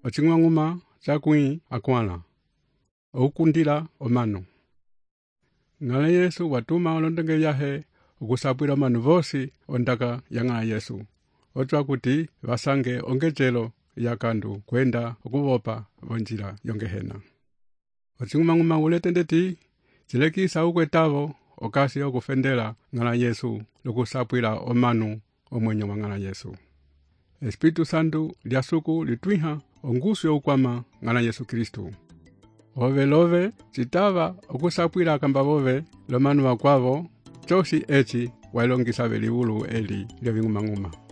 ocing'uma cakwĩ akwãla, oukundila omanu. Ng'ala Yesu watuma olondonge vyahe okusapwila omanu vosi ondaka ya ng'ala Yesu. Otwa kuti vasange ongecelo yakandu kwenda okuvopa vonjila yongehena. Ocing'uma ulete ndeti cilekisa ukwetavo okasi okufendela ng'ala Yesu lokusapwila omanu omwenyo wa ng'ala Yesu. Espiritu Santu lyasuku litwiha ongusu youkwama ng'ala Yesu Kristu. Ove citava okusapwila akamba vove lomanu wakwavo, cosi eci wailongisa veliulu eli lyo ving'uma.